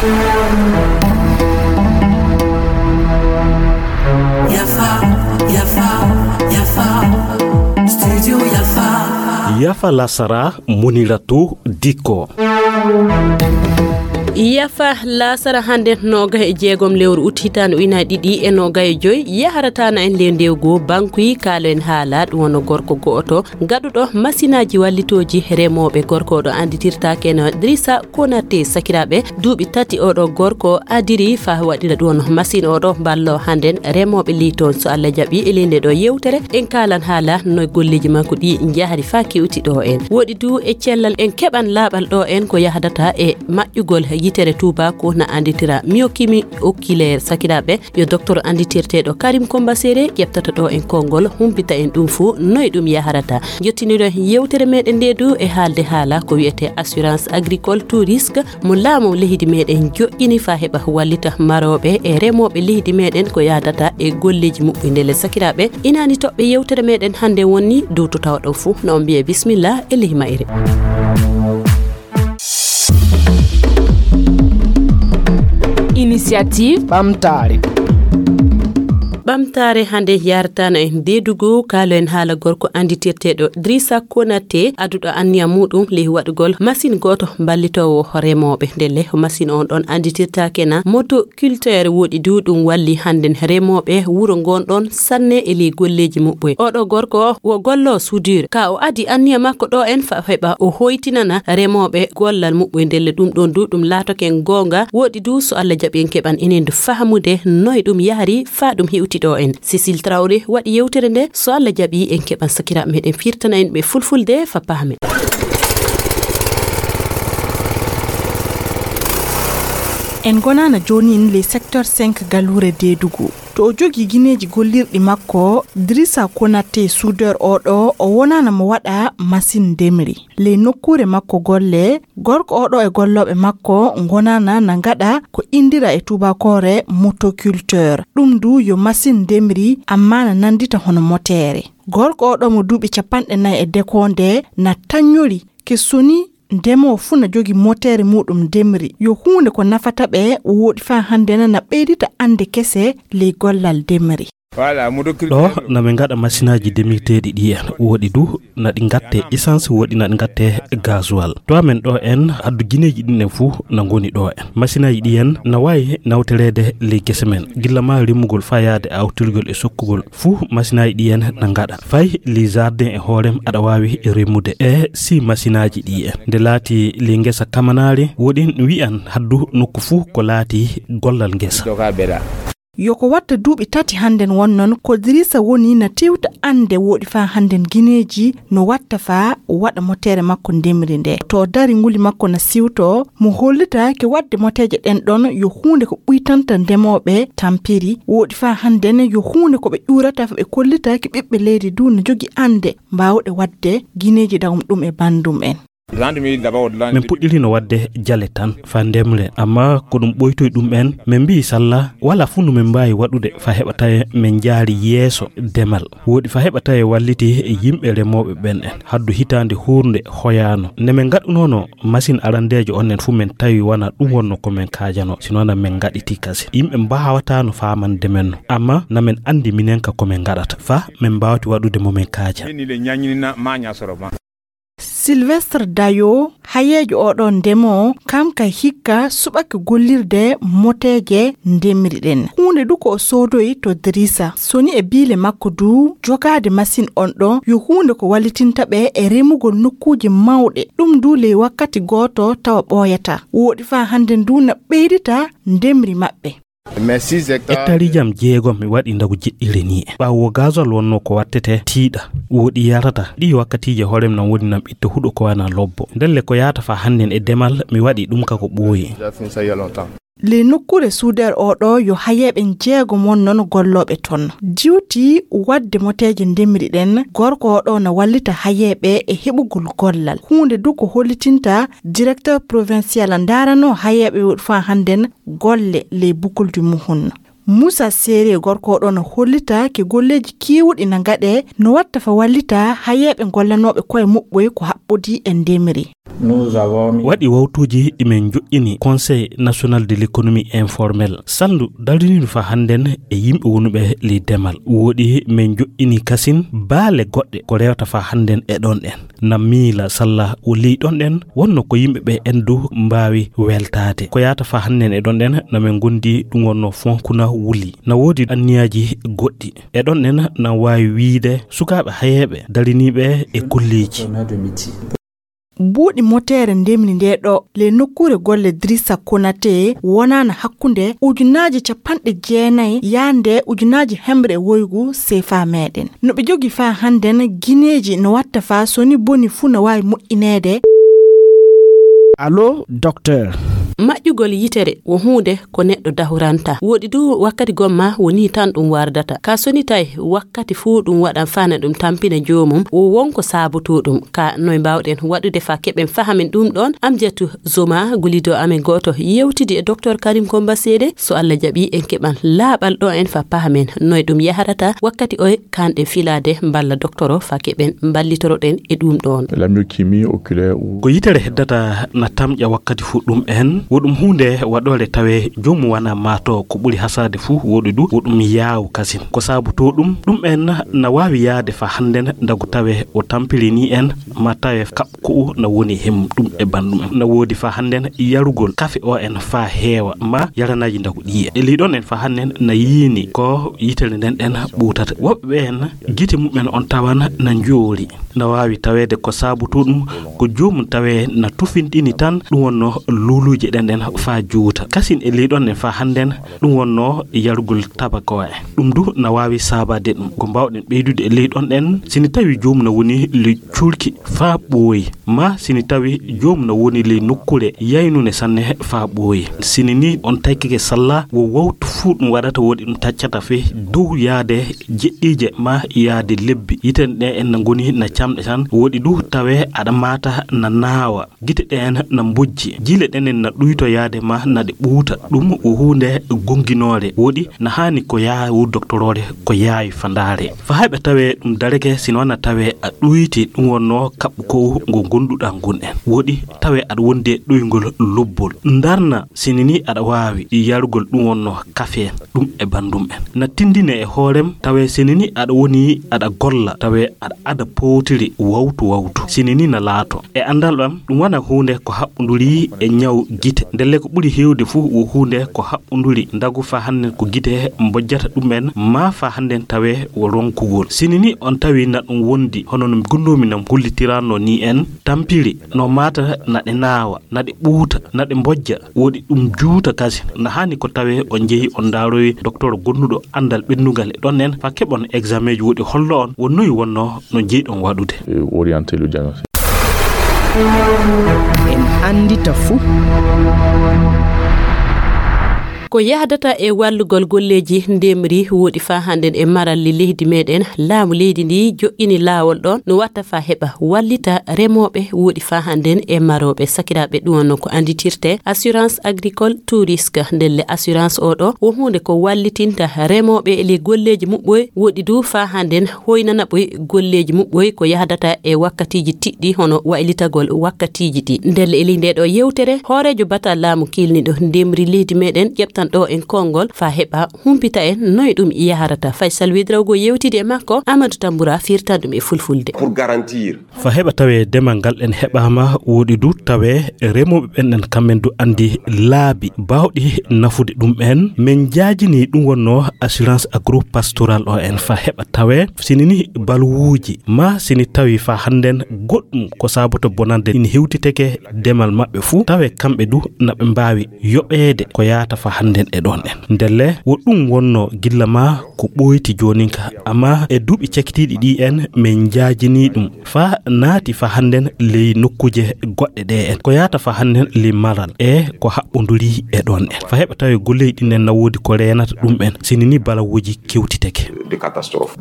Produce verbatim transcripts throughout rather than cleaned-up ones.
Yafa, yafa, yafa. Studio Yafa. Yafa lasara, Muniratu Diko. Yafa lasara hande noga e jeegom lewru ut hitaande ujunaaji ɗiɗi e noga e joy, yaharata na en le ndewgo bankuyi kaalo en haala ɗum wono gorko go'oto gaɗuɗo masinaaji wallitooji remooɓe. Gorko o ɗo annditirtaake no Drissa Konaté. Sakiraaɓe, duuɓi tati oɗo gorko adiri faa waɗira ɗum wono masin oɗo ballo hannden remooɓe ley toon. So Allah jaɓi e ley nde ɗo yewtere, en kaalan haala no golleeji makko ɗi njahri faa kewti ɗo en. Woɗi du e cellal en keɓan laaɓal ɗo en ko yahdata e maƴƴugol yitere tuubaako na annditira myokimi oculaire. Sakiraaɓe, yo docteur annditirteeɗo Karim Kombasere ƴeɓtata ɗo en konngol, humpita en ɗum fuu, noy ɗum yahrata. Jottiniren yewtere meɗen nde du e haalde haala ko wiyete assurance agricole tout risque mo laamu leydi meɗen joƴƴini faa heɓa wallita marooɓe e remooɓe leydi meɗen ko yahdata e golleeji muɓɓe. Ndelle sakiraaɓe, inaani toɓɓe yewtere meɗen hannde woni dow to tawɗon fuu, no on mbiye bismillah e ley mayre. Initiative ɓamtaare. Ɓamtaare hannde yarataano en deedugu kaalo en haala gorko annditirteeɗo Drissa Konaté, aduɗo anniya muuɗum ley waɗugol masin gooto ballitoowo remooɓe. Ndelle masin on ɗon annditirtaake na motoculteur, woɗi du ɗum walli hannden remooɓe wuro ngon ɗon sanne e ley golleeji muɓɓe. Oɗo gorko o wo gollo soudure. Ka o adi anniya makko ɗo en fa heɓa o hoytinana remooɓe gollal muɓɓe. Ndelle ɗum ɗon du ɗum laatoke goonga. Woɗi du so Allah jaɓi en keɓan enen du fahamude noy ɗum yahri faa ɗum hewti ɗo en. Cécile Traoré waɗi yewtere nde. So Allah jaɓi en keɓan sakiraaɓe meɗen firtana en ɓe fulfulde fa pahamen. En ngonaana joonin ley secteur cinq galuure Deedugu. To o jogii gineeji gollirɗi makko, Drissa Konaté soudeur oɗo, o wonaana mo waɗa masin ndemri. Ley nokkuure makko golle, gorko oɗo e gollooɓe makko ngonaana na ngaɗa ko indira e tuubaakoore motoculteur. Ɗum du yo masin ndemri, ammaa na nanndita hono moteere. Gorko oɗo mo duuɓi capanɗe nayi e dekoonde na taññori ke soni ndemoowo fuu na jogii moteere muuɗum ndemri. Yo huunde ko nafata ɓe, woɗi faa hannden na ɓeydita annde kese ley gollal ndemri. Ɗo na min ngaɗa masinaaji ndemirteeɗi ɗi en. Woɗi du na ɗi ngatte essence, woɗi na ɗi ngatte gasoil. To amen ɗo en, haddu gineeji ɗin en fuu na ngoni ɗo en. Masinaaji ɗi en na waawi nawtoreede ley gese men, gilla maa rimugol faa yaade awtirgol e sokkugol. Fuu masinaaji ɗi en na ngaɗa. Fay ley jardin e hoorem aɗa waawi rimude e si masinaaji ɗi en. Nde laati ley ngesa kamanaari, woɗi wi'an haddu nokku fuu ko laati gollal ngesa. Yo ko watta duuɓi tati hannden wonnon ko Dirisa woni na tewta annde woɗi faa hannden gineeji no watta faa waɗa moteere makko ndemri nde. To dari nguli makko na siwto, mo hollita ke waɗde moteeje ɗen ɗon yo huunde ko ɓuytanta ndemooɓe tampiri, woɗi faa hannden yo huunde ko ɓe ƴuurata faa ɓe kollita ke ɓiɓɓe leydi du no jogi annde mbaawɗe waɗde gineeji dagum ɗum e banndum en. Min puɗɗirino waɗde jale tan faa ndemre, amma ko ɗum ɓoytoyi ɗum en, min mbiyi salla walaa fuu no min mbaawi waɗude faa heɓa tawe min njaari yeeso demal. Woɗi faa heɓa tawe walliti yimɓe remooɓe ɓen en. Haddu hitaande huurnde hoyaano. Nde min ngaɗunoono masin arandeejo on en fuu min tawi wanaa ɗum wonno ko min kaajanoo, sinoo na min ngaɗitii kasen. Yimɓe mbaawataano faamande men no, amma na min anndi minen ka ko min ngaɗata, faa min mbaawti waɗude mo min kaaja. Sylvestre Dayo, hayeejo oɗo ndemoo, kam kay hikka suɓake gollirde moteeje ndemri ɗen. Huunde du ko o soodoyi to Dirisa. Soni e biile makko du, jogaade masin on ɗo yo huunde ko wallitinta ɓe e remugol nokkuuje mawɗe. Ɗum du ley wakkati gooto tawa ɓooyataa. Woɗi faa hannden du na ɓeydita ndemri maɓɓe. Hectareeji am jeegom mi waɗi ndagu jeɗɗire ni. Ɓaawo gazol wonno ko wattete tiiɗa, woɗi yarata. Ɗi wakkatiije hoorem nan woni nan ɓitta huɗo ko wana lobbo. Ndelle ko yaata faa hannden e demal mi waɗi ɗum ka ko ɓooyi. Ley nokkuure suudeer oo ɗoo yo hayeeɓe jeegom won non gollooɓe ton. Diwti waɗde moteeje ndemri ɗen, gorko oo ɗoo na wallita hayeeɓe e heɓugol gollal. Huunde du ko hollitinta directeur provincial ndaarano hayeeɓe woɗi faa hannden golle ley Boucle du Mouhoun. Moussa Séré, gorko oɗo no hollita ke golleeji keewuɗi na ngaɗe no watta fa wallita hayeeɓe gollanooɓe koye muɓɓoy ko haɓɓodi e ndemri. Waɗi wawtuuji ɗi min njoƴƴini Conseil National de l'Économie Informelle, salndu dariniiɗo faa hannden e yimɓe wonuɓe ley demal. Woɗi min njoƴƴini kasin baale goɗɗe ko rewata faa hannden e ɗon ɗen. Na miila salla o ley ɗon ɗen wonno ko yimɓe ɓe en du mbaawi weltaade. Ko yaata faa hannden e ɗon ɗen na min ngondi ɗum wonno fonkuna wuli. Na woodi anniyaaji goɗɗi. E ɗon ɗen na waawi wiide sukaaɓe hayeeɓe dariniiɓe e kolleeji. Buuɗi moteere ndemri ndee ɗo le nokkuure golle Drissa Konaté wonaana hakkunde ujunaaji capanɗe jeenayi yaande ujunaaji hemre e woygu sefa meɗen. No ɓe jogi faa hannden gineeji no watta faa so ni boni fuu no waawi moƴƴineede. Allo, docteur. Maƴƴugol yitere wo huunde ko neɗɗo dahuranta. Woɗi du wakkati gomma woni tan ɗum wardata. Ka soni tawi wakkati fuu ɗum waɗan fana ɗum tampina joomum, wo won ko saabotoo ɗum. Ka noy mbaawɗen waɗude faa keɓen fahamen ɗum ɗoon? Amjatu Zoma, gulido amen gooto, yewtidi e Docteur Karim Komba Seede. So Allah jaɓi, en keɓan laaɓal ɗo en faa pahamen noy ɗum yaharata wakkati oye kanɗe filaade mballa doktoro faa keɓen mballitoroɗen e ɗum ɗoon. La myoclonine oculaire ou ko yitere heddata na tamƴa wakkati fuu ɗum en, wo ɗum huunde waɗoore tawe joomum wana maato ko ɓuri hasaade fuu woɗi du, wo ɗum yaawu kasin. Ko saabotoo ɗum, ɗum en na waawi yaade faa hannden ndagu tawe o tampiri ni en, ma tawe kaɓ ko'u na woni him ɗum e banndum en. Na woodi faa hannden yarugol kafe o en faa heewa, ma yaranaaji ndagu ɗi en. E ley ɗon en faa hannden na yiini ko yitere nden ɗen ɓuutata. Woɓɓe ɓe en gite mumen on tawan na njoori. Na waawi taweede ko saabotoo ɗum ko joomum tawe na tufinɗini tan ɗum wonno luuluuje ɗen ɗen faa juuta. Kasin e ley ɗon en faa hannden ɗum wonno yarugol tabako en. Ɗum du na waawi saabaade ɗum. Ko mbaawɗen ɓeydude e ley ɗon ɗen, si ni tawi joomum na woni le cuurki faa ɓooyi, ma si ni tawi joomum na woni ley nokkuure yaynunde sanne faa ɓooyi. Si ni ni on taykike salla wo wawtu fuu ɗum waɗata woɗi ɗum taccata fee dow yaade jeɗɗiije ma yaade lebbi. Yite ɗe en na ngoni na camɗe tan, woɗi du tawe aɗa maata na naawa. Gite ɗeen na mbojji, jile ɗenen na ɗuytoyaade ma na ɗe ɓuuta. Ɗum ko huunde gonginoore, woɗi na haani ko yaawu doktoroore, ko yaawi fandaare. Fa heɓe tawee ɗum dareke, sino na tawee a ɗuyti, ɗum wonnoo kaɓɓu ko ngo gonduɗaa ngun en. Woɗi tawee aɗa wondi e ɗoyngol lobbol. Ndarna, sini ni aɗa waawi yarugol ɗum wonnoo kafe. Ɗum e banndum en. Na tindine e hoorem, tawee sini ni aɗa woni aɗa golla, tawee aɗa ada powtiri wawtu wawtu. Sini ni na laato. E anndal am, ɗum wona huunde ko haɓɓunduri e ñaw gite. Ndelle ko ɓuri heewde fof wo huunde ko haɓɓunduri ndagu faa hannden ko gite mbojjata ɗum en, maa faa hannden tawee wo ronkugol. Sini ni on tawi na ɗum wondi, hono no gondoomi nam gollitiranno ni en, tampiri, no maata na ɗe naawa, na ɗe ɓuuta, na ɗe mbojja, woɗi ɗum juuta kasi. Na haani ko tawee on njehi on ndaaroyi doktor gonduɗo anndal ɓenndugal e ɗon en, faa keɓon examen ji woɗi hollo on wo noy wonnoo no njeyɗon waɗude. Et orienter le diagnostic. En anndita fuu. Ko yahdata e wallugol golleeji ndemri woɗi faa hannden e maralle leydi meɗen, laamu leydi ndi joƴƴini laawol ɗon no watta faa heɓa wallita remooɓe woɗi faa hannden e marooɓe. Sakiraaɓe, ɗum wonno ko annditirte assurance agricole tout risque. Ndelle assurance oo ɗoo wo huunde ko wallitinta remooɓe e ley golleeji muɓɓoy, woɗi du faa hannden hoynana ɓoy golleeji muɓɓoy ko yahdata e wakkatiiji tiɗɗi, hono waylitagol wakkatiiji ɗi. Ndelle e ley ndee ɗoo yewtere, hooreejo batal laamu kiilniiɗo ndemri leydi meɗen ƴeɓtan ɗoo en konngol faa heɓa humpita en noy ɗum yaharata. Faysal Wedrawgo yewtidi e makko, Amadou Tamboura firtan ɗum e fulfulde. Pour garantir. Faa heɓa tawee demal ngal en heɓaama, woɗi du tawee remooɓe ɓen en kamɓen du anndi laabi baawɗi nafude ɗum en. Min njaajini ɗum wonnoo assurance agro-pastorale oo en faa heɓa tawee sini ni balwuuji maa sini tawi faa hannden goɗɗum ko saaboto bonande ina hewtiteke demal maɓɓe fuu, tawee kamɓe du na ɓe mbaawi yoɓeede ko yaata faa hannden e ɗon en. Ndelle wo ɗum wonnoo gilla maa ko ɓooyti joonin ka, amma e duuɓi cakitiiɗi ɗi en min njaajini ɗum faa naati faa hannden ley nokkuuje goɗɗe ɗe en. Ko yaata faa hannden ley maral e ko haɓɓonduri e ɗon en. Faa heɓa tawee golleeji ɗin en na woodi ko reenata ɗum en, sini ni balawuuji kewtiteke. De catastrophe.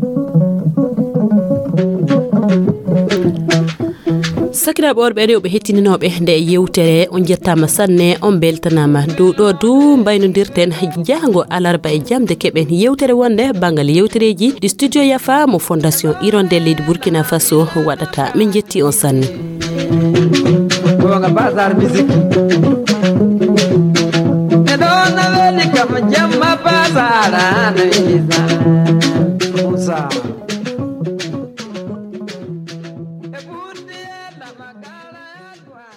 Sakiraaɓe worɓe e rewɓe hettininooɓe nde yewtere, on njettaama sanne, on mbeltanaama. Dow ɗoo du mbaynondirten jahango alarba e jamde keɓen yewtere wonde banngal yewtereeji ɗi Studio Yafa mo Fondation Hirondelle leydi Burkina Faso waɗata. Min njetti on sanne. Bazar Music. E ɗon na weli kam, jemma bazar na weli.